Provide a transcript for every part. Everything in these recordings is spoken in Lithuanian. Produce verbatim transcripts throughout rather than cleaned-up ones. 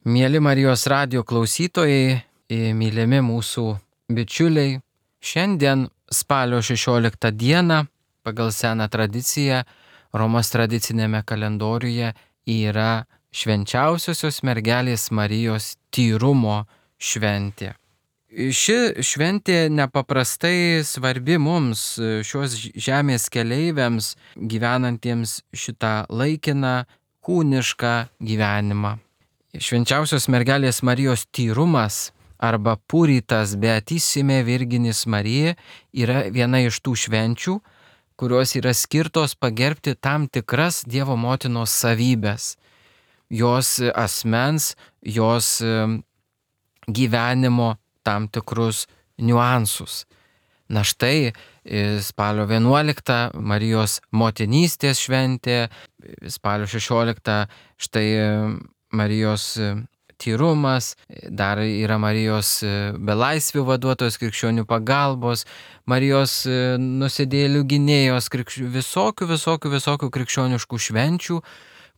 Mieli Marijos radijo klausytojai, mylimi mūsų bičiuliai, šiandien spalio šešioliktą dieną pagal seną tradiciją Romos tradicinėme kalendoriuje yra švenčiausiosios mergelės Marijos tyrumo šventė. Ši šventė nepaprastai svarbi mums, šios žemės keleiviams, gyvenantiems šitą laikiną kūnišką gyvenimą. Švenčiausios mergelės Marijos tyrumas arba puritas beatissime Virginis Marija yra viena iš tų švenčių, kurios yra skirtos pagerbti tam tikras Dievo motinos savybės, jos asmens, jos gyvenimo tam tikrus niuansus. Na štai spalio vienuoliktą Marijos motinystės šventė, spalio šešioliktą štai Marijos tyrumas, dar yra Marijos belaisvių vaduotojos, krikščionių pagalbos, Marijos nusidėjėlių gynėjos, krikščių, visokių, visokių, visokių krikščioniškų švenčių,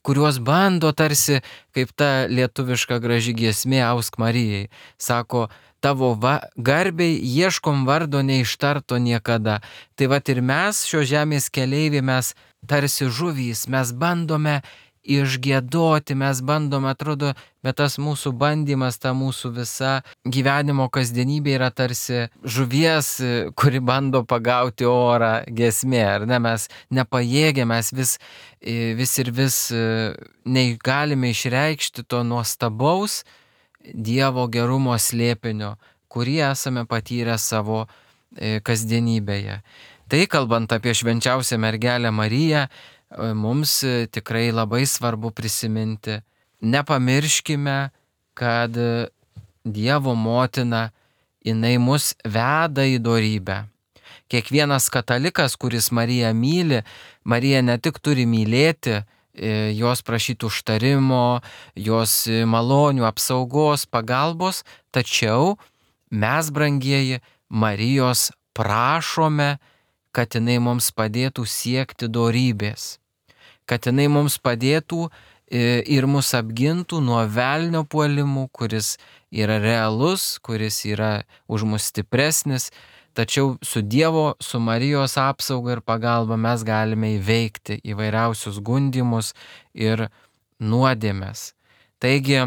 kuriuos bando tarsi, kaip ta lietuviška graži giesmė Ausk Marijai, sako, tavo va, garbiai ieškom vardo neištarto niekada. Tai vat ir mes, šio žemės keleiviai, mes tarsi žuvys, mes bandome išgiedoti, mes bandome, atrodo, bet tas mūsų bandymas, ta mūsų visa gyvenimo kasdienybė yra tarsi žuvies, kuri bando pagauti orą giesmė, ar ne, mes nepajėgėme, mes vis, vis ir vis negalime išreikšti to nuostabaus Dievo gerumo slėpinio, kurį esame patyrę savo kasdienybėje. Tai kalbant apie švenčiausią mergelę Mariją, mums tikrai labai svarbu prisiminti, nepamirškime, kad Dievo motina, jinai mus veda į dorybę. Kiekvienas katalikas, kuris Mariją myli, Marija ne tik turi mylėti, jos prašyti užtarimo, jos malonių, apsaugos, pagalbos, tačiau mes, brangieji, Marijos prašome, kad jinai mums padėtų siekti dorybės, kad jinai mums padėtų ir mus apgintų nuo velnio puolimų, kuris yra realus, kuris yra už mus stipresnis, tačiau su Dievo, su Marijos apsauga ir pagalba mes galime įveikti įvairiausius gundymus ir nuodėmes. Taigi,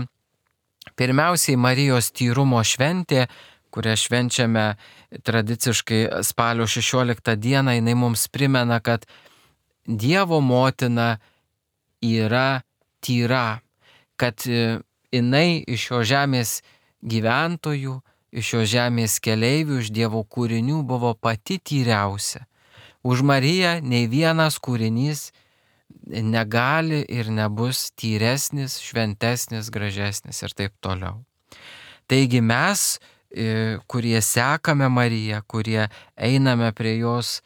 pirmiausiai Marijos tyrumo šventė, kurią švenčiame tradiciškai spalio šešioliktą dieną, jinai mums primena, kad Dievo motina yra tyra, kad jinai iš šio žemės gyventojų, iš šio žemės keleivių, iš Dievo kūrinių buvo pati tyriausia. Už Mariją nei vienas kūrinys negali ir nebus tyresnis, šventesnis, gražesnis ir taip toliau. Taigi mes, kurie sekame Mariją, kurie einame prie jos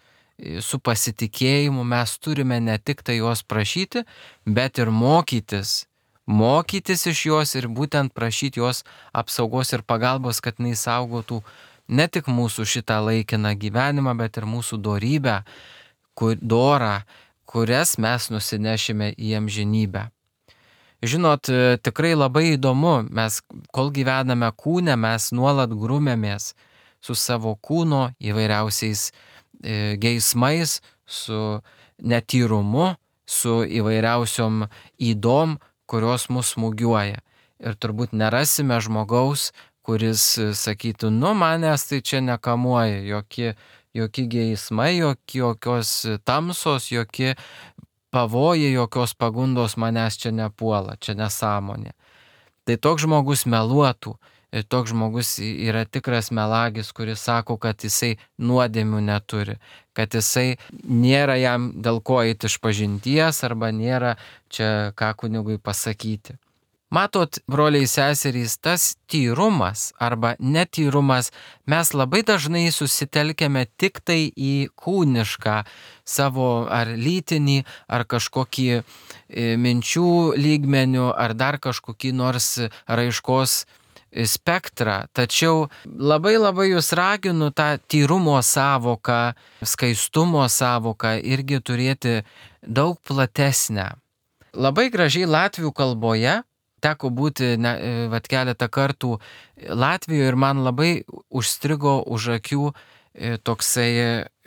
su pasitikėjimu, mes turime ne tik tai jos prašyti, bet ir mokytis, mokytis iš jos ir būtent prašyti jos apsaugos ir pagalbos, kad jinai saugotų ne tik mūsų šitą laikiną gyvenimą, bet ir mūsų dorybę, kur, dorą, kurias mes nusinešime į amžinybę. Žinot, tikrai labai įdomu, mes kol gyvename kūne, mes nuolat grumėmės su savo kūno įvairiausiais e, geismais, su netyrumu, su įvairiausiom ydom, kurios mus smūgiuoja. Ir turbūt nerasime žmogaus, kuris sakytų, nu manęs tai čia nekamuoja, jokie, jokie geismai, jokie, jokios tamsos, jokie pavojai, jokios pagundos manęs čia nepuola, čia nesąmonė. Tai toks žmogus meluotų, ir toks žmogus yra tikras melagis, kuris sako, kad jisai nuodėmių neturi, kad jisai nėra jam dėl ko eiti iš pažinties arba nėra čia ką kunigui pasakyti. Matot, broliai seserys, tas tyrumas arba netyrumas, mes labai dažnai susitelkėme tik tai į kūnišką savo ar lytinį, ar kažkokį e, minčių lygmenių, ar dar kažkokį nors raiškos spektrą. Tačiau labai labai jūs raginu tą tyrumo savoką, skaistumo savoką irgi turėti daug platesnę. Labai gražiai latvių kalboje teko būti ne, vat, keletą kartų Latvijoje ir man labai užstrigo už akių toksai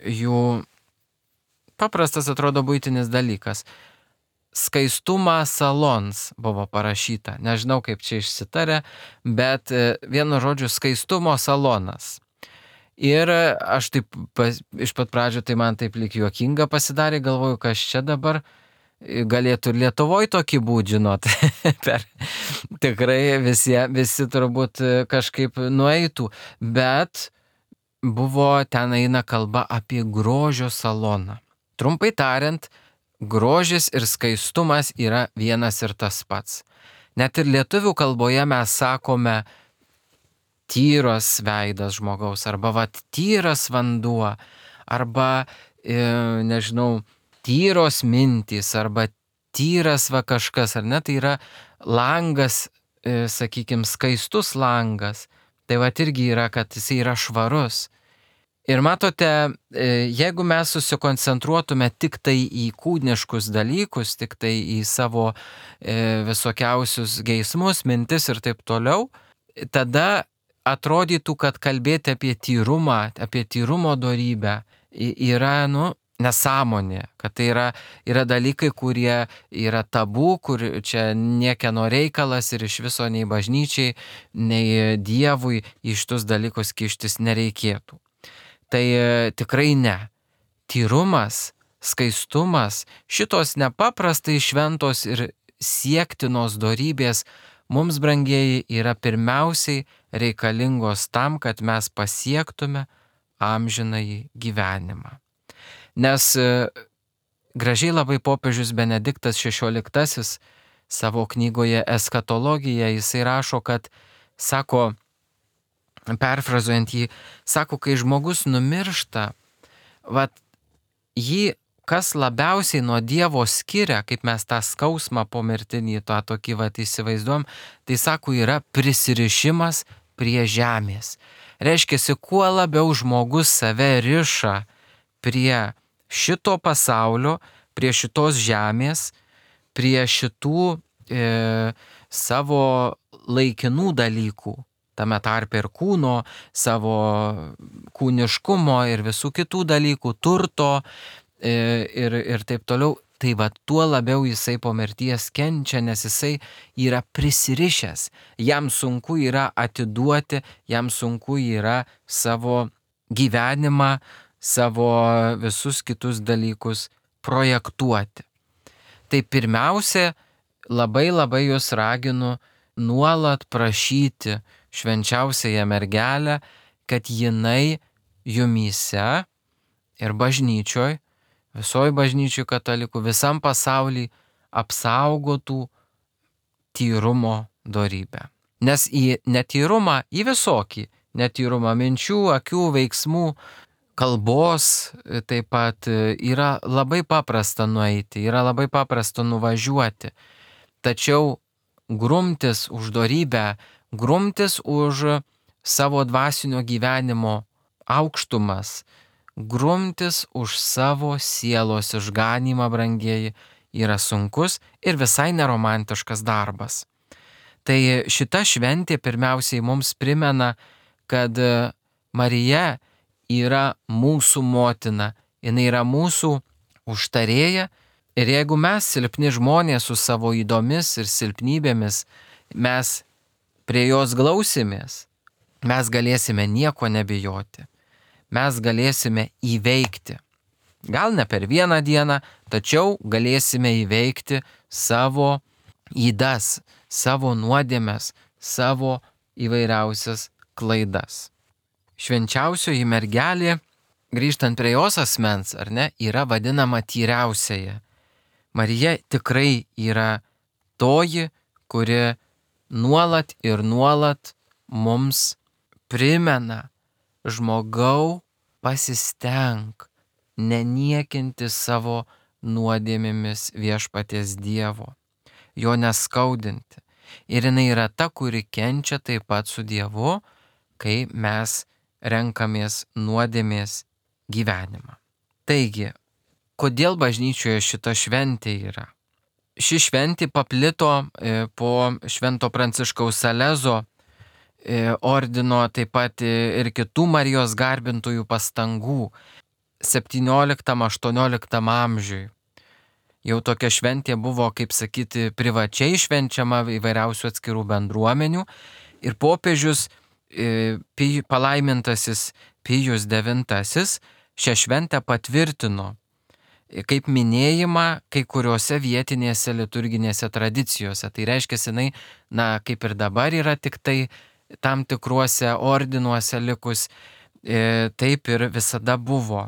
jų paprastas atrodo buitinis dalykas. Skaistumą salons buvo parašyta. Nežinau, kaip čia išsitarė, bet vienu žodžiu skaistumo salonas. Ir aš taip pas, iš pat pradžio tai man taip lyg juokinga pasidarė, galvoju, kas čia dabar galėtų ir Lietuvoje tokį būt, žinot. per, tikrai visi, visi turbūt kažkaip nueitų, bet buvo ten eina kalba apie grožio saloną. Trumpai tariant, grožis ir skaistumas yra vienas ir tas pats. Net ir lietuvių kalboje mes sakome tyras veidas žmogaus, arba vat tyras vanduo, arba, e, nežinau, tyros mintys, arba tyras va kažkas, ar ne, tai yra langas, e, sakykime, skaistus langas. Tai vat irgi yra, kad jis yra švarus. Ir matote, jeigu mes susikoncentruotume tik tai į kūniškus dalykus, tik tai į savo visokiausius geismus, mintis ir taip toliau, tada atrodytų, kad kalbėti apie tyrumą, apie tyrumo dorybę yra, nu, nesąmonė, kad tai yra, yra dalykai, kurie yra tabu, kur čia niekieno reikalas ir iš viso nei bažnyčiai, nei Dievui į šitus dalykus kištis nereikėtų. Tai tikrai ne. Tyrumas, skaistumas, šitos nepaprastai šventos ir siektinos dorybės mums, brangieji, yra pirmiausiai reikalingos tam, kad mes pasiektume amžinąjį gyvenimą. Nes gražiai labai popiežius Benediktas šešioliktasis savo knygoje Eskatologija, jisai rašo, kad, sako, perfrazuojant jį, sako, kai žmogus numiršta, vat, jį kas labiausiai nuo Dievo skiria, kaip mes tą skausmą pomirtinį, tą tokį vat įsivaizduom, tai sako, yra prisirišimas prie žemės. Reiškiasi, kuo labiau žmogus save riša prie šito pasaulio, prie šitos žemės, prie šitų e, savo laikinų dalykų, tame tarpe ir kūno, savo kūniškumo ir visų kitų dalykų, turto e, ir, ir taip toliau, tai va tuo labiau jisai po mirties kenčia, nes jisai yra prisirišęs. Jam sunku yra atiduoti, jam sunku yra savo gyvenimą, savo visus kitus dalykus projektuoti. Tai pirmiausia, labai labai jūs raginu nuolat prašyti švenčiausiąją mergelę, kad jinai jumyse ir bažnyčioj, visoji bažnyčioj katalikų, visam pasaulyje apsaugotų tyrumo dorybę. Nes į netyrumą, į visokį netyrumą minčių, akių, veiksmų, kalbos taip pat yra labai paprasta nueiti, yra labai paprasta nuvažiuoti. Tačiau grumtis už dorybę, grumtis už savo dvasinio gyvenimo aukštumas, grumtis už savo sielos išganymą, brangieji, yra sunkus ir visai neromantiškas darbas. Tai šita šventė pirmiausiai mums primena, kad Marija yra mūsų motina, jinai yra mūsų užtarėja. Ir jeigu mes, silpni žmonės su savo ydomis ir silpnybėmis, mes prie jos glausimės, mes galėsime nieko nebijoti. Mes galėsime įveikti. Gal ne per vieną dieną, tačiau galėsime įveikti savo ydas, savo nuodėmes, savo įvairiausias klaidas. Švenčiausioji mergelė, grįžtant prie jos asmens, ar ne, yra vadinama tyriausiaja. Marija tikrai yra toji, kuri nuolat ir nuolat mums primena: žmogau, pasistenk neniekinti savo nuodėmėmis viešpaties Dievo, jo neskaudinti. Ir jinai yra ta, kuri kenčia taip pat su Dievu, kai mes renkamės nuodėmės gyvenimą. Taigi, kodėl bažnyčioje šita šventė yra? ši šventė paplito po Švento Pranciškaus Salezo ordino, taip pat ir kitų Marijos garbintojų pastangų septynioliktam aštuonioliktam amžiui. Jau tokia šventė buvo, kaip sakyti, privačiai švenčiama įvairiausių atskirų bendruomenių ir popiežius palaimintasis Pijus devintasis šią šventę patvirtino kaip minėjimą kai kuriuose vietinėse liturginėse tradicijose. Tai reiškia, jinai, na, kaip ir dabar yra tik tai tam tikruose ordinuose likus, taip ir visada buvo.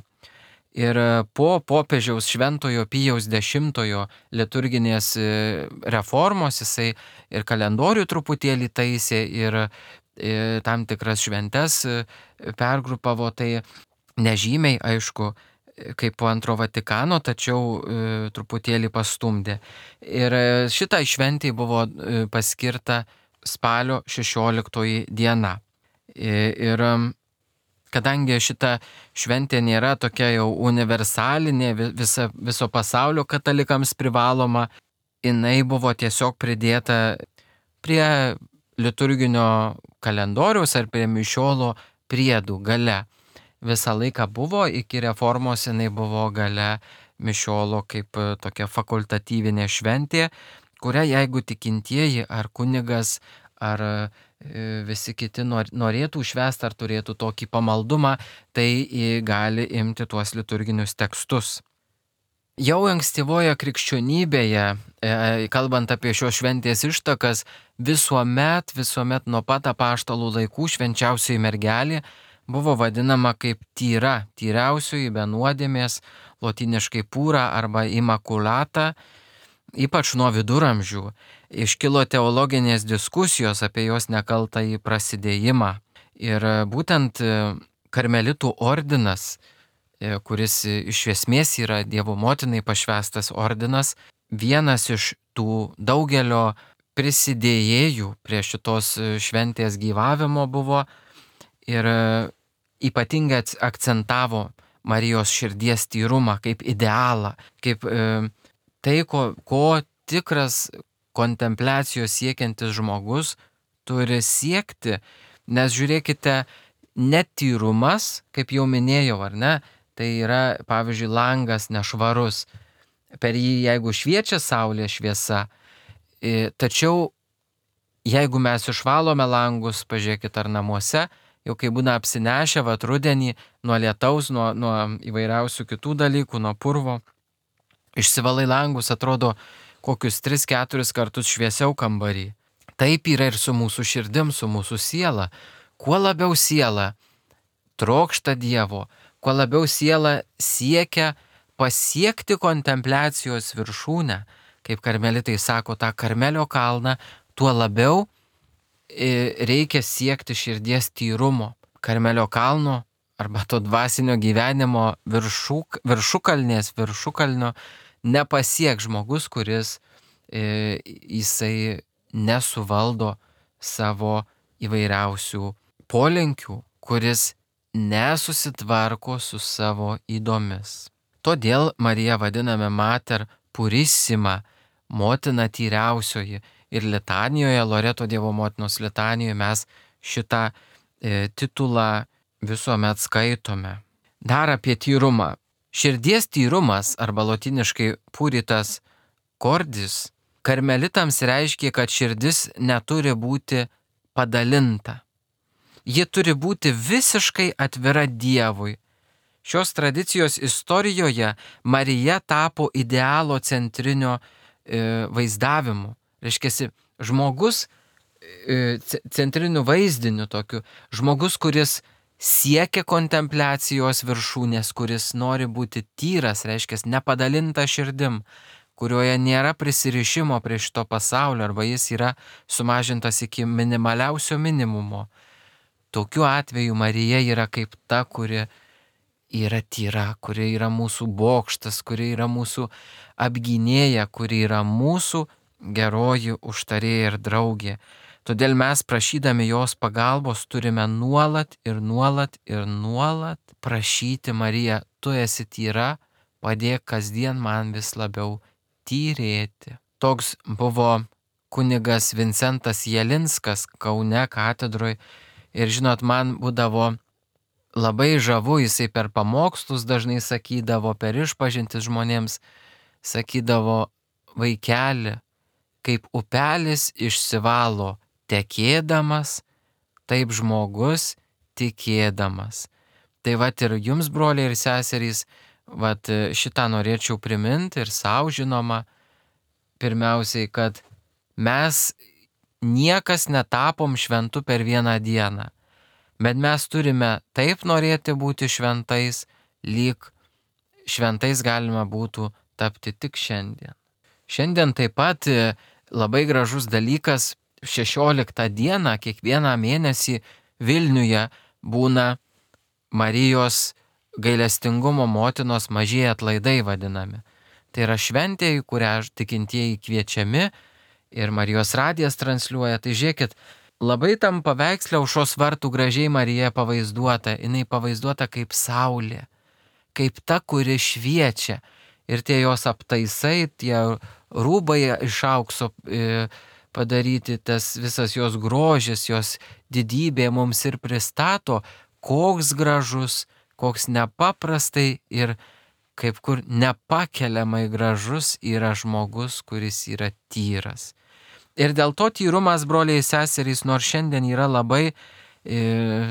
Ir po popiežiaus Šventojo Pijaus dešimtojo liturginės reformos jisai ir kalendorių truputėlį taisė ir tam tikras šventes pergrupavo, tai nežymiai, aišku, kaip po antro Vatikano, tačiau e, truputėlį pastumdė. Ir šitai šventai buvo e, paskirta spalio šešioliktoji diena. E, ir kadangi šita šventė nėra tokia jau universalinė, visa, viso pasaulio katalikams privaloma, jinai buvo tiesiog pridėta prie liturginio kalendoriaus ar prie mišiolo priedų gale. Visą laiką buvo, iki reformos jinai buvo gale mišiolo kaip tokia fakultatyvinė šventė, kurią jeigu tikintieji ar kunigas ar visi kiti norėtų švęsti ar turėtų tokį pamaldumą, tai gali imti tuos liturginius tekstus. Jau ankstyvoje krikščionybėje, kalbant apie šios šventės ištakas, visuomet, visuomet nuo pat apaštalų laikų švenčiausioji mergelė buvo vadinama kaip tyra, tyriausioji be nuodėmės, lotyniškai pūra arba imakulata, ypač nuo viduramžių. Iškilo teologinės diskusijos apie jos nekaltąjį prasidėjimą. Ir būtent karmelitų ordinas, kuris iš esmės yra Dievo motinai pašvęstas ordinas, vienas iš tų daugelio prisidėjėjų prie šitos šventės gyvavimo buvo ir ypatingai akcentavo Marijos širdies tyrumą kaip idealą, kaip e, tai, ko, ko tikras kontempliacijos siekiantis žmogus turi siekti, nes žiūrėkite, netyrumas, kaip jau minėjau, ar ne, tai yra, pavyzdžiui, langas nešvarus, per jį jeigu šviečia saulės šviesa, e, tačiau jeigu mes išvalome langus, pažiūrėkit ar namuose, jau kai būna apsinešę vat rudenį nuo lietaus, nuo, nuo įvairiausių kitų dalykų, nuo purvo, išsivalai langus, atrodo kokius tris keturis kartus šviesiau kambarį. Taip yra ir su mūsų širdim, su mūsų siela. Kuo labiau siela trokšta Dievo, kuo labiau siela siekia pasiekti kontempliacijos viršūnę, kaip karmelitai sako, tą Karmelio kalną, tuo labiau reikia siekti širdies tyrumo. Karmelio kalno arba to dvasinio gyvenimo viršuk, viršukalnės, viršukalnio nepasiek žmogus, kuris e, jisai nesuvaldo savo įvairiausių polinkių, kuris nesusitvarko su savo ydomis. Todėl Mariją vadiname Mater Purissima, motina tyriausioji. Ir litanijoje, Loreto Dievo motinos litanijoje mes šitą e, titulą visuomet skaitome. Dar apie tyrumą. Širdies tyrumas arba lotyniškai puritas cordis karmelitams reiškia, kad širdis neturi būti padalinta. Ji turi būti visiškai atvira Dievui. Šios tradicijos istorijoje Marija tapo idealo centrinio e, vaizdavimu. Reiškia, žmogus e, centriniu vaizdiniu tokiu, žmogus, kuris siekia kontempliacijos viršūnės, kuris nori būti tyras, reiškia, nepadalinta širdim, kurioje nėra prisirišimo prie šito pasaulio arba jis yra sumažintas iki minimaliausio minimumo. Tokiu atveju Marija yra kaip ta, kuri yra tyra, kuri yra mūsų bokštas, kuri yra mūsų apgynėja, kuri yra mūsų geroji užtarėja ir draugė. Todėl mes prašydami jos pagalbos turime nuolat ir nuolat ir nuolat prašyti Mariją, tu esi tyra, padėk kasdien man vis labiau tyrėti. Toks buvo kunigas Vincentas Jelinskas Kaune katedroj. Ir žinot, man būdavo labai žavu, jisai per pamokslus dažnai sakydavo, per išpažintis žmonėms sakydavo: vaikeli, kaip upelis išsivalo tekėdamas, taip žmogus tikėdamas. Tai vat ir jums, broliai ir seserys, vat šitą norėčiau priminti ir savo, žinoma, pirmiausiai, kad mes niekas netapom šventu per vieną dieną, bet mes turime taip norėti būti šventais, lyg šventais galima būtų tapti tik šiandien. Šiandien taip pat labai gražus dalykas, šešioliktą dieną kiekvieną mėnesį Vilniuje būna Marijos gailestingumo motinos mažieji atlaidai vadinami. Tai yra šventė, į kurią tikintieji kviečiami ir Marijos radijas transliuoja. Tai žiūrėkit, labai tam paveiksle aušros vartų gražiai Marija pavaizduota. Jinai pavaizduota kaip saulė, kaip ta, kuri šviečia. Ir tie jos aptaisai, tie rūbai iš aukso padaryti, tas visas jos grožis, jos didybė mums ir pristato, koks gražus, koks nepaprastai ir kaip kur nepakeliamai gražus yra žmogus, kuris yra tyras. Ir dėl to tyrumas, broliai seserys, nors šiandien yra labai, e,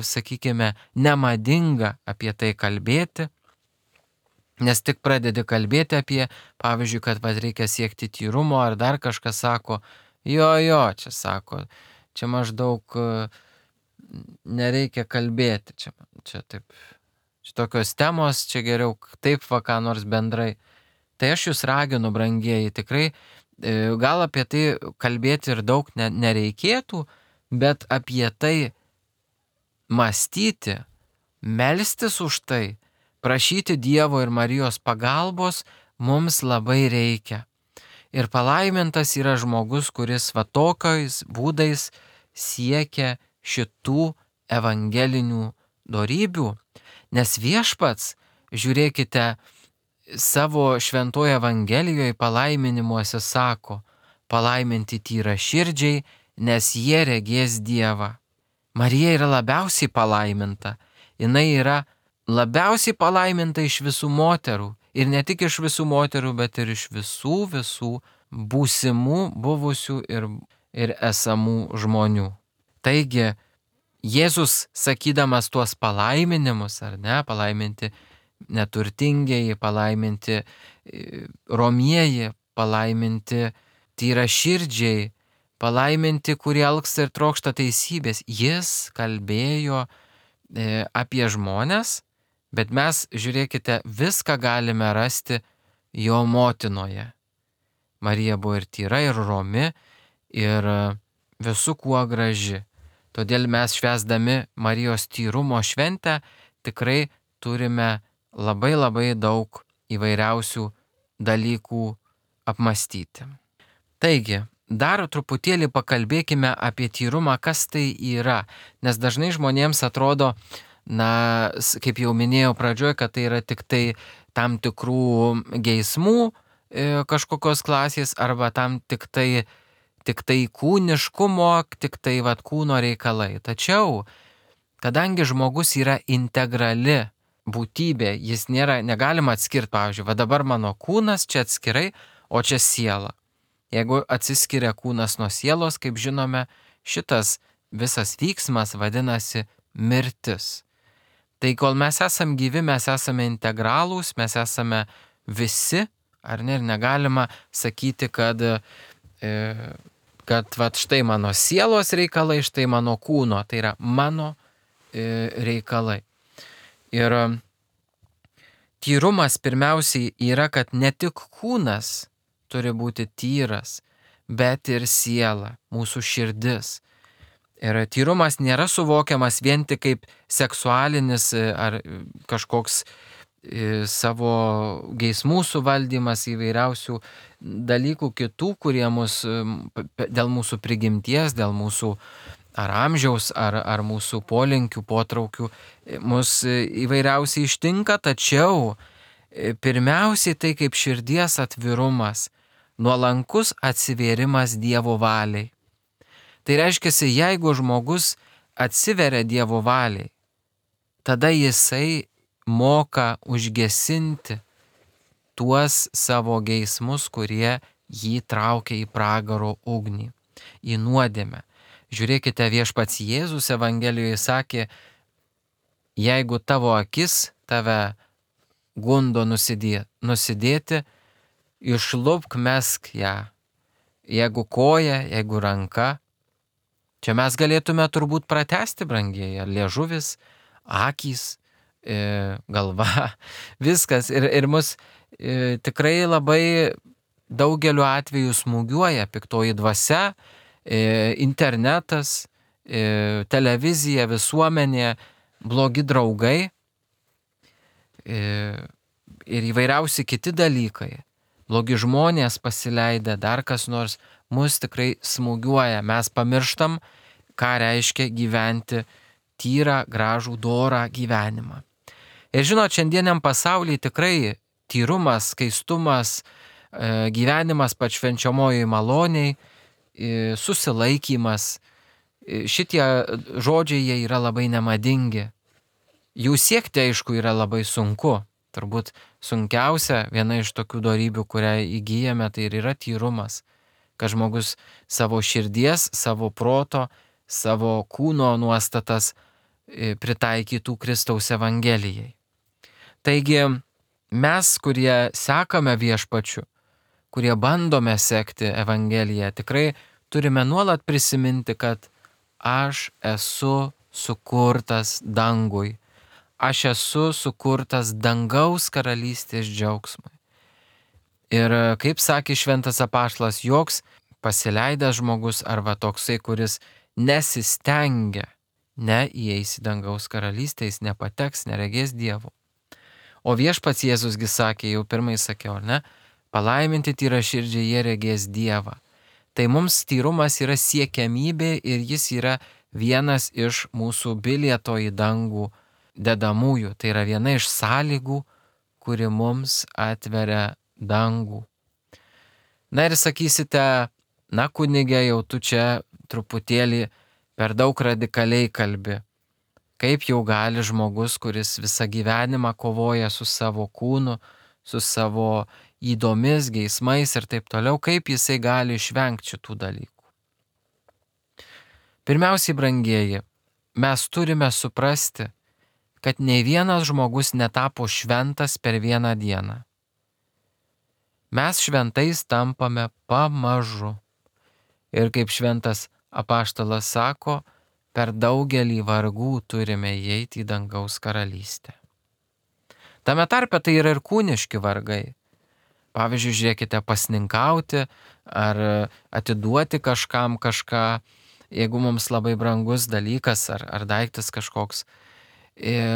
sakykime, nemadinga apie tai kalbėti, nes tik pradedi kalbėti apie, pavyzdžiui, kad va, reikia siekti tyrumo, ar dar kažkas sako, jo, jo, čia sako, čia maždaug nereikia kalbėti, čia, čia taip, čia tokios temos, čia geriau taip va ką nors bendrai. Tai aš jūs raginu, brangieji, tikrai gal apie tai kalbėti ir daug nereikėtų, bet apie tai mąstyti, melstis už tai, prašyti Dievo ir Marijos pagalbos mums labai reikia. Ir palaimintas yra žmogus, kuris va tokiais būdais siekia šitų evangelinių dorybių, nes viešpats, žiūrėkite, savo šventoje Evangelijoje palaiminimuose sako: palaiminti tyra širdžiai, nes jie regės Dievą. Marija yra labiausiai palaiminta, jinai yra labiausiai palaiminta iš visų moterų, ir ne tik iš visų moterų, bet ir iš visų visų būsimų, buvusių ir, ir esamų žmonių. Taigi, Jėzus, sakydamas tuos palaiminimus, ar ne, palaiminti neturtingieji, palaiminti romieji, palaiminti tyraširdžiai, palaiminti, kurie alksta ir trokšta teisybės, jis kalbėjo e, apie žmones, bet mes, žiūrėkite, viską galime rasti jo motinoje. Marija buvo ir tyra, ir romi, ir visų kuo graži. Todėl mes švęsdami Marijos tyrumo šventę tikrai turime labai labai daug įvairiausių dalykų apmastyti. Taigi, dar truputėlį pakalbėkime apie tyrumą, kas tai yra, nes dažnai žmonėms atrodo, na, kaip jau minėjau pradžioje, kad tai yra tik tai tam tikrų geismų e, kažkokios klasės arba tam tik tai tik tai kūniškumo, tik tai vat kūno reikalai. Tačiau, kadangi žmogus yra integrali būtybė, jis nėra, negalima atskirti, pavyzdžiui, va dabar mano kūnas čia atskirai, o čia siela. Jeigu atsiskiria kūnas nuo sielos, kaip žinome, šitas visas vyksmas vadinasi mirtis. Tai kol mes esam gyvi, mes esame integralūs, mes esame visi, ar ne, ir negalima sakyti, kad e, kad vat štai mano sielos reikalai, štai mano kūno, tai yra mano e, reikalai. Ir tyrumas pirmiausiai yra, kad ne tik kūnas turi būti tyras, bet ir siela, mūsų širdis. Ir tyrumas nėra suvokiamas vien tik kaip seksualinis ar kažkoks savo geismų suvaldymas, įvairiausių dalykų kitų, kurie mus dėl mūsų prigimties, dėl mūsų ar amžiaus, ar, ar mūsų polinkių, potraukių mus įvairiausiai ištinka, tačiau pirmiausiai tai kaip širdies atvirumas, nuolankus atsivėrimas Dievo valiai. Tai reiškia, jeigu žmogus atsiveria Dievo valiai, tada jisai moka užgesinti tuos savo geismus, kurie jį traukia į pragaro ugnį, į nuodėmę. Žiūrėkite, viešpats Jėzus Evangelijoje sakė, jeigu tavo akis tave gundo nusidė, nusidėti, išlupk, mesk ją. Jeigu koja, jeigu ranka. Čia mes galėtume turbūt pratęsti, brangieji, liežuvis, akys, e, galva, viskas. Ir, ir mus e, tikrai labai daugeliu atveju smūgiuoja piktoji dvasia, e, internetas, e, televizija, visuomenė, blogi draugai e, ir įvairiausi kiti dalykai. Blogi žmonės pasileidę, dar kas nors, mus tikrai smūgiuoja. Mes pamirštam, ką reiškia gyventi tyrą, gražų, dorą gyvenimą. Ir žinot, šiandieniam pasaulyje tikrai tyrumas, skaistumas, gyvenimas pašvenčiamojoj maloniai, susilaikymas, šitie žodžiai jie yra labai nemadingi. Jų siekti, aišku, yra labai sunku. Turbūt sunkiausia viena iš tokių dorybių, kurią įgyjame, tai ir yra tyrumas. Kad žmogus savo širdies, savo proto, savo kūno nuostatas pritaikytų Kristaus Evangelijai. Taigi mes, kurie sekame viešpačiu, kurie bandome sekti Evangeliją, tikrai turime nuolat prisiminti, kad aš esu sukurtas dangui. Aš esu sukurtas dangaus karalystės džiaugsmui. Ir kaip sakė šventas apaštalas, joks pasileidęs žmogus arba toksai, kuris nesistengia, neįeis į dangaus karalystę, jis nepateks, neregės Dievo. O viešpats Jėzusgi sakė, jau pirmai sakiau, ne, palaiminti tyraširdžiai, jie regės Dievą. Tai mums tyrumas yra siekiamybė ir jis yra vienas iš mūsų bilieto į dangų dedamųjų. Tai yra viena iš sąlygų, kuri mums atveria dangų. Na ir sakysite, na kunige, jau tu čia truputėlį per daug radikaliai kalbi. Kaip jau gali žmogus, kuris visą gyvenimą kovoja su savo kūnu, su savo įdomis, geismais ir taip toliau, kaip jisai gali išvengti šitų dalykų? Pirmiausiai, brangieji, mes turime suprasti, kad nei vienas žmogus netapo šventas per vieną dieną. Mes šventais tampame pamažu. Ir kaip šventas apaštalas sako, per daugelį vargų turime įeiti į dangaus karalystę. Tame tarpe tai yra ir kūniški vargai. Pavyzdžiui, žiūrėkite, pasninkauti ar atiduoti kažkam kažką, jeigu mums labai brangus dalykas ar, ar daiktas kažkoks.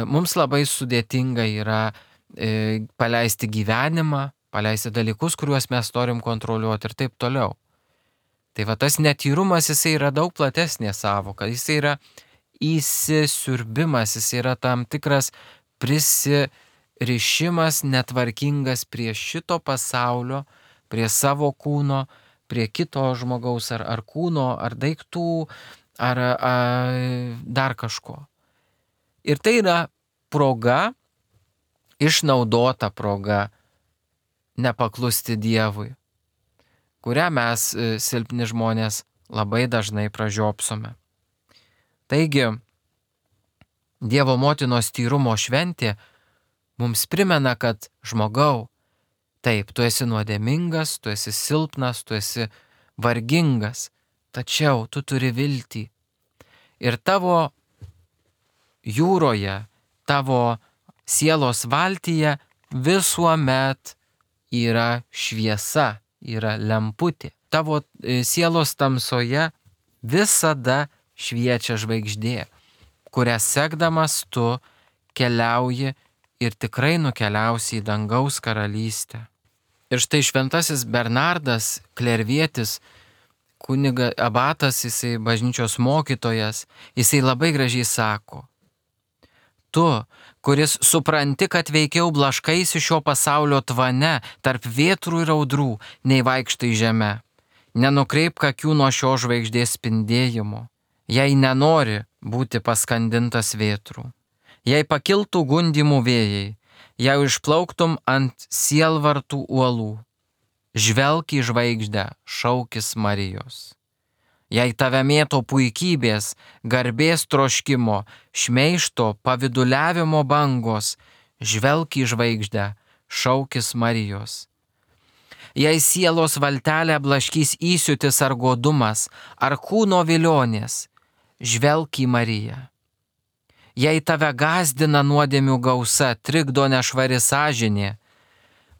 Mums labai sudėtinga yra paleisti gyvenimą, paleisti dalykus, kuriuos mes norim kontroliuoti ir taip toliau. Tai va tas netyrumas, jisai yra daug platesnė sąvoka, jisai yra įsisiurbimas, jisai yra tam tikras prisirišimas netvarkingas prie šito pasaulio, prie savo kūno, prie kito žmogaus ar, ar kūno, ar daiktų, ar, ar dar kažko. Ir tai yra proga, išnaudota proga nepaklusti Dievui, kurią mes, silpni žmonės, labai dažnai pražiopsome. Taigi, Dievo motinos tyrumo šventė mums primena, kad žmogau, taip, tu esi nuodėmingas, tu esi silpnas, tu esi vargingas, tačiau tu turi viltį. Ir tavo jūroje, tavo sielos valtyje visuomet yra šviesa, yra lemputė. Tavo sielos tamsoje visada šviečia žvaigždė, kurią sekdamas tu keliauji ir tikrai nukeliausi į dangaus karalystę. Ir štai šventasis Bernardas Klervietis, kuniga abatas, jisai bažnyčios mokytojas, jisai labai gražiai sako: tu, kuris supranti, kad veikiau blaškaisi šio pasaulio tvane tarp vėtrų ir audrų, nei vaikštai žeme. Nenukreipk akių nuo šio žvaigždės spindėjimo, jei nenori būti paskandintas vėtrų. Jei pakiltų gundimų vėjai, jei išplauktum ant sielvartų uolų, žvelk į žvaigždę, šaukis Marijos. Jei tave mėto puikybės, garbės troškimo, šmeižto, paviduliavimo bangos, žvelk į žvaigždę, šaukis Marijos. Jei sielos valtelę blaškys įsiūtis ar godumas, ar kūno vilionės, žvelk į Mariją. Jei tave gąsdina nuodėmių gausa, trikdo nešvari sąžinė,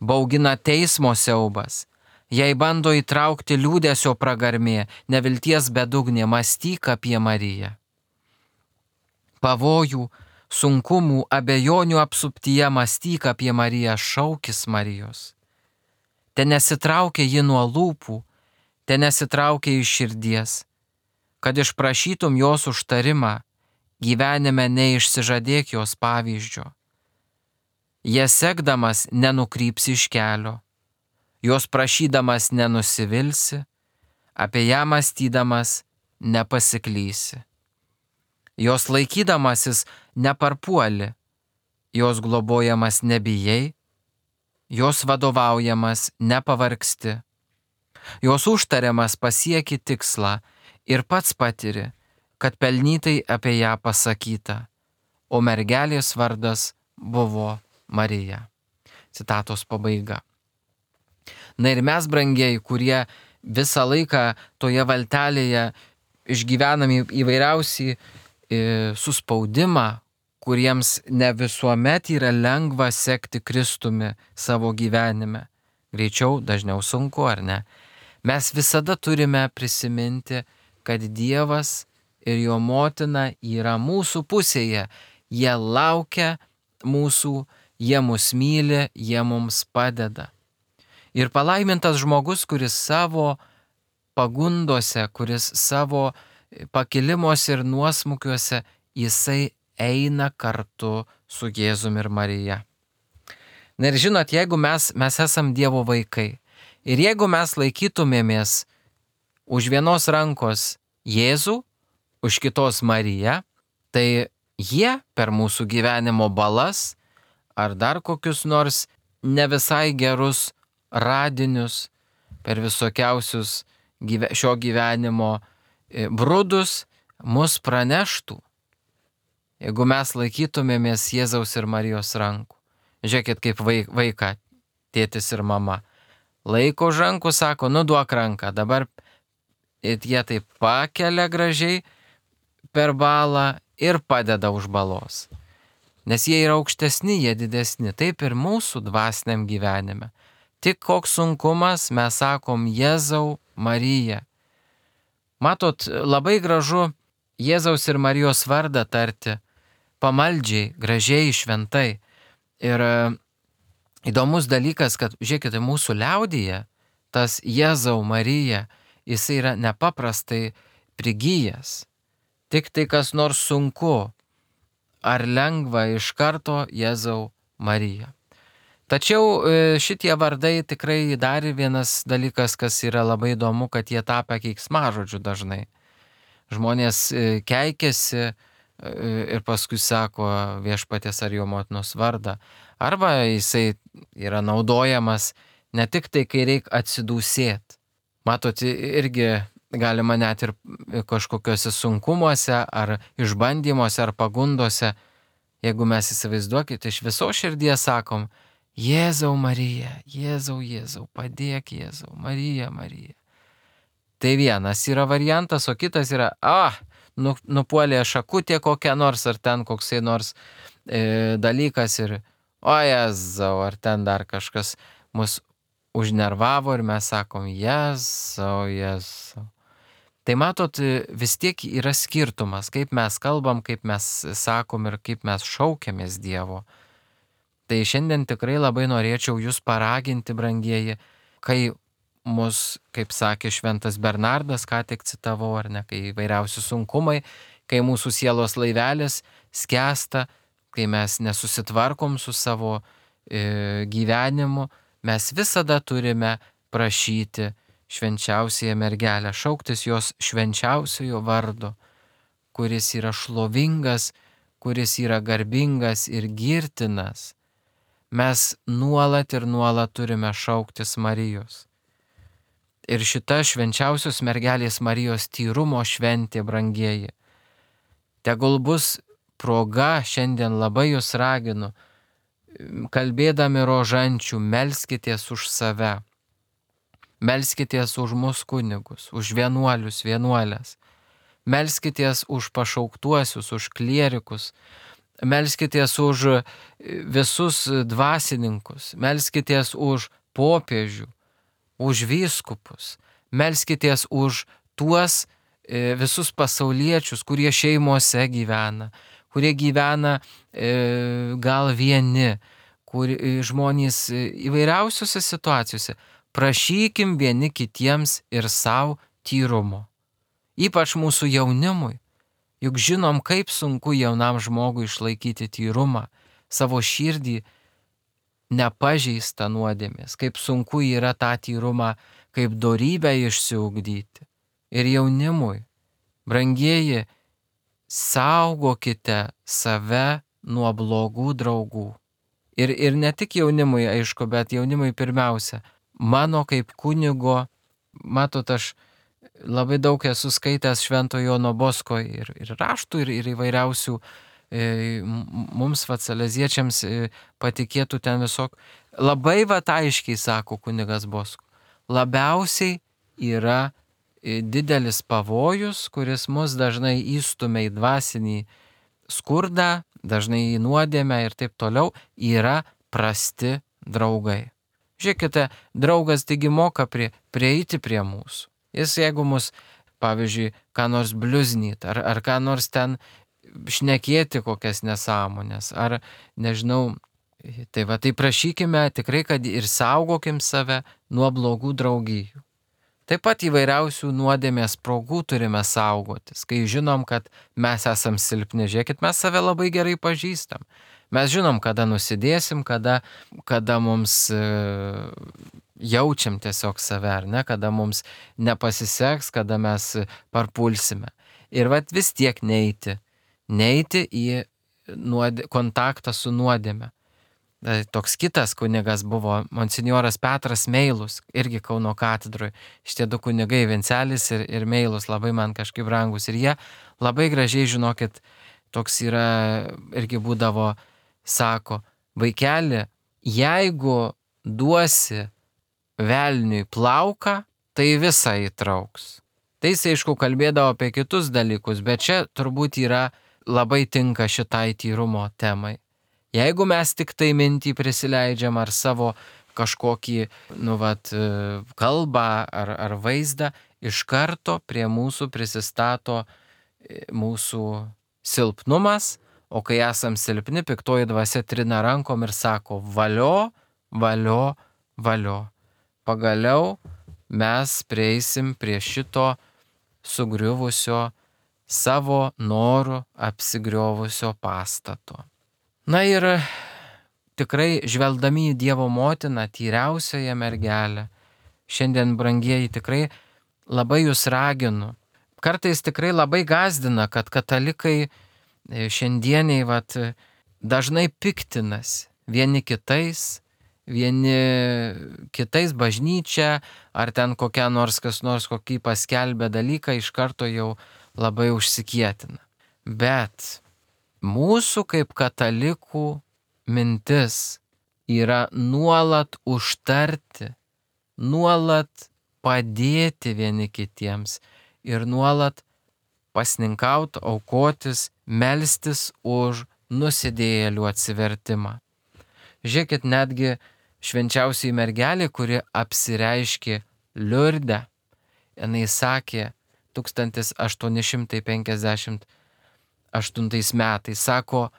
baugina teismo siaubas, jei bando įtraukti liūdesio pragarmė, nevilties bedugnė, mąstyk apie Mariją. Pavojų, sunkumų, abejonių apsuptyje mąstyk apie Mariją, šaukis Marijos. Te nesitraukia ji nuo lūpų, te nesitraukia iš širdies, kad išprašytum jos užtarimą, gyvenime neišsižadėk jos pavyzdžio. Jie sekdamas nenukrypsi iš kelio, jos prašydamas nenusivilsi, apie ją mąstydamas nepasiklysi. Jos laikydamasis neparpuoli, jos globojamas nebijai, jos vadovaujamas nepavargsti, jos užtariamas pasieki tikslą ir pats patiri, kad pelnytai apie ją pasakyta, o mergelės vardas buvo Marija. Citatos pabaiga. Na ir mes, brangieji, kurie visą laiką toje valtelėje išgyvename įvairiausią suspaudimą, kuriems ne visuomet yra lengva sekti Kristumi savo gyvenime. Greičiau, dažniau sunku, ar ne? Mes visada turime prisiminti, kad Dievas ir jo motina yra mūsų pusėje. Jie laukia mūsų, jie mus myli, jie mums padeda. Ir palaimintas žmogus, kuris savo pagundose, kuris savo pakilimuose ir nuosmukiuose, jisai eina kartu su Jėzumi ir Marija. Na ir žinot, jeigu mes, mes esam Dievo vaikai ir jeigu mes laikytumėmės už vienos rankos Jėzų, už kitos Mariją, tai jie per mūsų gyvenimo balas ar dar kokius nors ne visai gerus radinius, per visokiausius gyve, šio gyvenimo brudus mus praneštų. Jeigu mes laikytumėmės Jėzaus ir Marijos rankų. Žiūrėkit, kaip vaiką tėtis ir mama laiko už rankų, sako, nu duok ranką, dabar jie taip pakelia gražiai per balą ir padeda už balos. Nes jie yra aukštesni, jie didesni, taip ir mūsų dvasiniam gyvenime. Tik koks sunkumas, mes sakom Jėzau, Marija. Matot, labai gražu Jėzaus ir Marijos vardą tarti pamaldžiai, gražiai, šventai. Ir įdomus dalykas, kad, žiūrėkite, mūsų liaudyje tas Jėzau, Marija, jis yra nepaprastai prigijęs. Tik tai kas nors sunku ar lengva iš karto Jėzau, Marija. Tačiau šitie vardai tikrai dar vienas dalykas, kas yra labai įdomu, kad jie tapę keiksmažodžiu dažnai. Žmonės keikiasi ir paskui sako viešpaties ar jo motinos vardą. Arba jisai yra naudojamas ne tik tai, kai reikia atsidūsėti. Matot, irgi galima net ir kažkokiuose sunkumuose ar išbandymuose ar pagundose, jeigu mes įsivaizduokite, iš viso širdies sakom, Jėzau, Marija, Jėzau, Jėzau, padėk Jėzau, Marija, Marija. Tai vienas yra variantas, o kitas yra, ah, nu, nupuolė šakutė kokia nors, ar ten koksai nors e, dalykas ir, o Jėzau, ar ten dar kažkas mus užnervavo ir mes sakom, Jėzau, Jėzau. Tai matot, vis tiek yra skirtumas, kaip mes kalbam, kaip mes sakom ir kaip mes šaukiamės Dievo. Tai šiandien tikrai labai norėčiau jūs paraginti, brangieji, kai mus, kaip sakė šventas Bernardas, ką tik citavau, ar ne, kai įvairiausi sunkumai, kai mūsų sielos laivelis skęsta, kai mes nesusitvarkom su savo e, gyvenimu, mes visada turime prašyti švenčiausiąją mergelę, šauktis jos švenčiausiojo vardo, kuris yra šlovingas, kuris yra garbingas ir girtinas. Mes nuolat ir nuolat turime šauktis Marijos. Ir šita švenčiausios mergelės Marijos tyrumo šventė, brangieji, tegul bus proga, šiandien labai jūs raginu, kalbėdami rožančių, melskitės už save, melskitės už mus kunigus, už vienuolius, vienuolės, melskitės už pašauktuosius, už klierikus, melskitės už visus dvasininkus, melskitės už popiežių, už vyskupus, melskitės už tuos visus pasauliečius, kurie šeimose gyvena, kurie gyvena e, gal vieni, kur žmonės įvairiausiose situacijose. Prašykim vieni kitiems ir savo tyrumo. Ypač mūsų jaunimui. Juk žinom, kaip sunku jaunam žmogui išlaikyti tyrumą, savo širdį nepažeistą nuodėmės, kaip sunku yra tą tyrumą, kaip dorybę išsiugdyti. Ir jaunimui, brangieji, saugokite save nuo blogų draugų. Ir, ir ne tik jaunimui, aišku, bet jaunimui pirmiausia. Mano kaip kunigo, matot, aš labai daug esu skaitęs Švento Jono Bosko ir, ir raštų, ir, ir įvairiausių e, mums vatsaleziečiams e, patikėtų ten visok. Labai vat aiškiai sako kunigas Bosko, labiausiai yra didelis pavojus, kuris mus dažnai įstumia į dvasinį skurdą, dažnai į nuodėmę ir taip toliau, yra prasti draugai. Žiūrėkite, draugas taigi moka prie, prieiti prie mūsų. Jis jeigu mus, pavyzdžiui, ką nors bliuznyt, ar, ar ką nors ten šnekėti kokias nesąmonės, ar nežinau, tai va, tai prašykime tikrai, kad ir saugokim save nuo blogų draugijų. Taip pat įvairiausių nuodėmės progų turime saugotis, kai žinom, kad mes esam silpni. Žiūrėkit, mes save labai gerai pažįstam. Mes žinom, kada nusidėsim, kada, kada mums e, jaučiam tiesiog save, ar ne, kada mums nepasiseks, kada mes parpulsime. Ir vat vis tiek neiti, neiti į nuodė, kontaktą su nuodėme. Toks kitas kunigas buvo monsinjoras Petras Meilus, irgi Kauno katedroje. Šitie du kunigai, Vencelis ir, ir Meilus, labai man kažkaip brangus. Ir jie labai gražiai, žinokit, toks yra, irgi būdavo, sako, vaikeli, jeigu duosi velniui plauką, tai visą įtrauks. Tai jis, aišku, kalbėdavo apie kitus dalykus, bet čia turbūt yra labai tinka šitai tyrumo temai. Jeigu mes tik tai mintį prisileidžiam ar savo kažkokį, nu vat, kalbą ar, ar vaizdą, iš karto prie mūsų prisistato mūsų silpnumas, o kai esam silpni, piktoji dvasia trina rankom ir sako valio, valio, valio. Pagaliau mes prieisim prie šito sugriuvusio, savo norų apsigriovusio pastato. Na ir tikrai žvelgdami į Dievo motiną, tyriausiąją mergelę, šiandien, brangieji, tikrai labai jūs raginu. Kartais tikrai labai gąsdina, kad katalikai šiandieniai vat, dažnai piktinasi vieni kitais, vieni kitais bažnyčia, ar ten kokia nors kas nors kokį paskelbė dalyką, iš karto jau labai užsikietina. Bet mūsų kaip katalikų mintis yra nuolat užtarti, nuolat padėti vieni kitiems ir nuolat pasninkauti, aukotis, melstis už nusidėjėlių atsivertimą. Žiūrėkit, netgi švenčiausiai mergelė, kuri apsireiškė Liurde, jinai sakė tūkstantis aštuoni šimtai penkiasdešimt aštuntais metais, sako,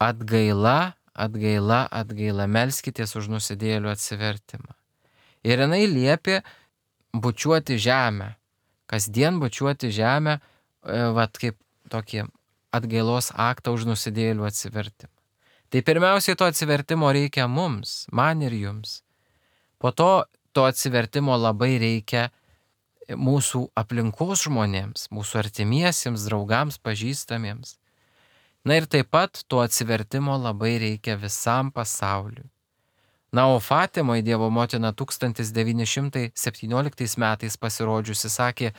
atgaila, atgaila, atgaila, melskitės už nusidėjėlių atsivertimą. Ir jinai liepė bučiuoti žemę, kasdien bučiuoti žemę, vat kaip tokį atgailos aktą už nusidėjėlių atsivertimą. Tai pirmiausiai to atsivertimo reikia mums, man ir jums. Po to to atsivertimo labai reikia mūsų aplinkos žmonėms, mūsų artimiesiems, draugams, pažįstamiems. Na ir taip pat to atsivertimo labai reikia visam pasauliui. Na, o Fatimoje Dievo motina tūkstantis devyni šimtai septynioliktais metais pasirodžiusi sakė,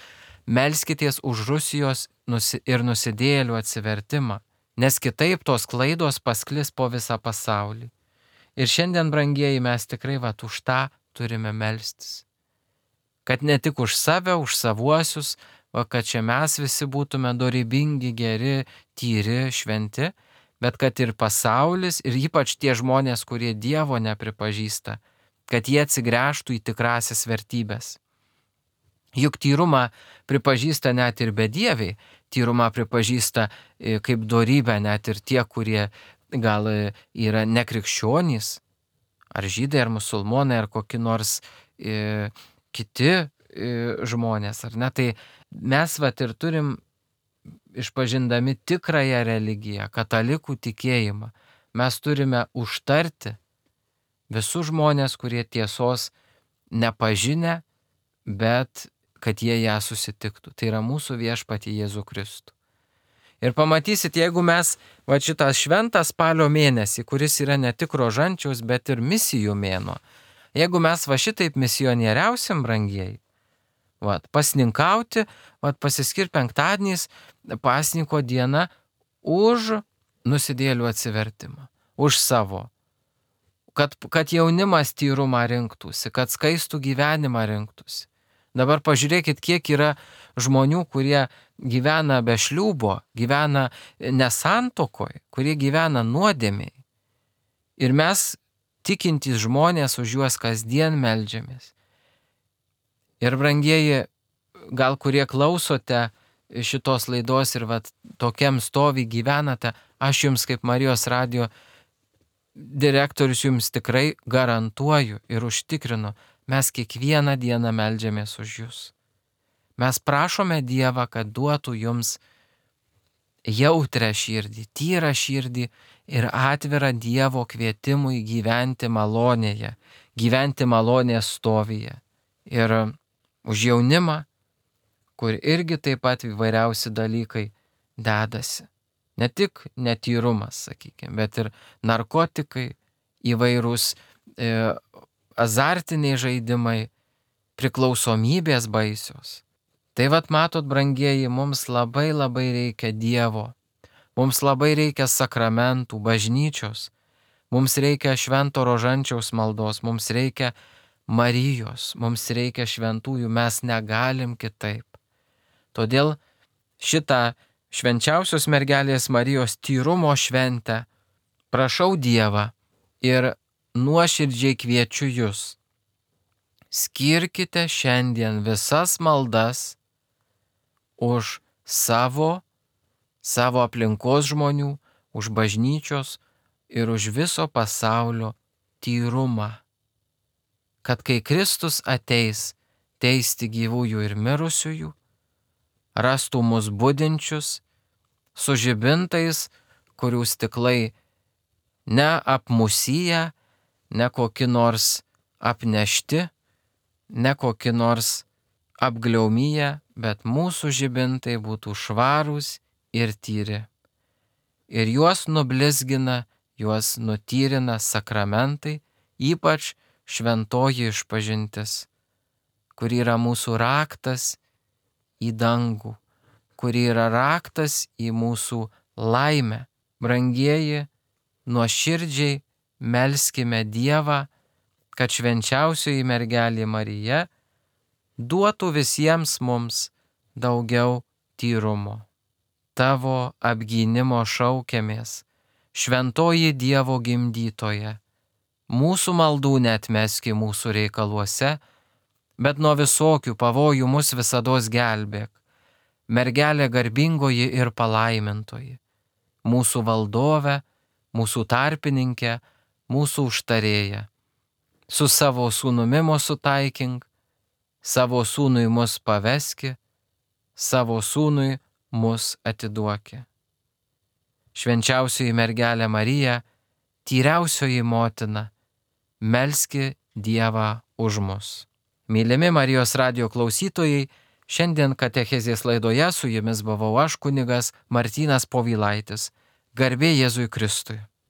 melskitės už Rusijos nusi ir nusidėjėlių atsivertimą, nes kitaip tos klaidos pasklis po visą pasaulį. Ir šiandien, brangieji, mes tikrai vat už tą turime melstis. Kad ne tik už save, už savuosius, va, kad čia mes visi būtume dorybingi, geri, tyri, šventi, bet kad ir pasaulis, ir ypač tie žmonės, kurie Dievo nepripažįsta, kad jie atsigręžtų į tikrasias vertybės. Juk tyrumą pripažįsta net ir bedieviai, tyrumą pripažįsta kaip dorybę net ir tie, kurie gal yra nekrikščionys, ar žydai, ar musulmonai, ar kokie nors e, kiti e, žmonės, ar ne? Tai mes vat ir turim, išpažindami tikrąją religiją, katalikų tikėjimą, mes turime užtarti visus žmonės, kurie tiesos nepažinę, bet kad jie ją susitiktų. Tai yra mūsų viešpatį Jėzų Kristų. Ir pamatysit, jeigu mes va šitą šventą spalio mėnesį, kuris yra ne tik rožančiaus, bet ir misijų mėnuo, jeigu mes va šitaip misionieriausim, brangieji, va, pasninkauti, va, pasiskirti penktadieniais, pasninko diena už nusidėlių atsivertimą, už savo, kad, kad jaunimas tyrumą rinktųsi, kad skaistų gyvenimą rinktųsi. Dabar pažiūrėkit, kiek yra žmonių, kurie gyvena be šliūbo, gyvena nesantokoj, kurie gyvena nuodėmiai. Ir mes, tikintys žmonės, už juos kasdien meldžiamės. Ir brangieji, gal kurie klausote šitos laidos ir vat, tokiam stovi gyvenate, aš jums kaip Marijos radijo direktorius jums tikrai garantuoju ir užtikrinu, mes kiekvieną dieną meldžiamės už jūs. Mes prašome Dievą, kad duotų jums jautrę širdį, tyrą širdį ir atvirą Dievo kvietimui gyventi malonėje, gyventi malonės stovyje. Ir už jaunimą, kur irgi taip pat įvairiausi dalykai dedasi. Ne tik netyrumas, sakykime, bet ir narkotikai, įvairūs e, azartiniai žaidimai, priklausomybės baisios. Tai vat matot, brangieji, mums labai labai reikia Dievo, mums labai reikia sakramentų, bažnyčios, mums reikia švento rožančiaus maldos, mums reikia Marijos, mums reikia šventųjų, mes negalim kitaip. Todėl šitą švenčiausios mergelės Marijos tyrumo šventę prašau Dievą ir nuoširdžiai kviečiu jūs. Skirkite šiandien visas maldas už savo, savo aplinkos žmonių, už bažnyčios ir už viso pasaulio tyrumą. Kad kai Kristus ateis teisti gyvųjų ir mirusiųjų, rastų mus budinčius, su žibintais, kurių stiklai neapmusyja, ne koki nors apnešti, ne koki nors apgliaumyje, bet mūsų žibintai būtų švarūs ir tyri. Ir juos nublizgina, juos nutyrina sakramentai, ypač šventoji išpažintis, kur yra mūsų raktas į dangų, kur yra raktas į mūsų laimę. Brangieji, nuoširdžiai melskime Dievą, kad švenčiausioji mergelė Marija duotų visiems mums daugiau tyrumo. Tavo apgynimo šaukiamės, šventoji Dievo gimdytoja. Mūsų maldų neatmeski mūsų reikaluose, bet nuo visokių pavojų mus visados gelbėk. Mergelė garbingoji ir palaimintoji, mūsų valdove, mūsų tarpininkė, mūsų užtarėja. Su savo sūnumi mus sutaikink, savo sūnui mus paveski, savo sūnui mus atiduoki. Švenčiausioji mergelė Marija, tyriausioji motina, melski Dievą už mus. Mylimi Marijos radijo klausytojai, šiandien katechezės laidoje su jumis buvau aš, kunigas Martynas Povilaitis. Garbė Jėzui Kristui.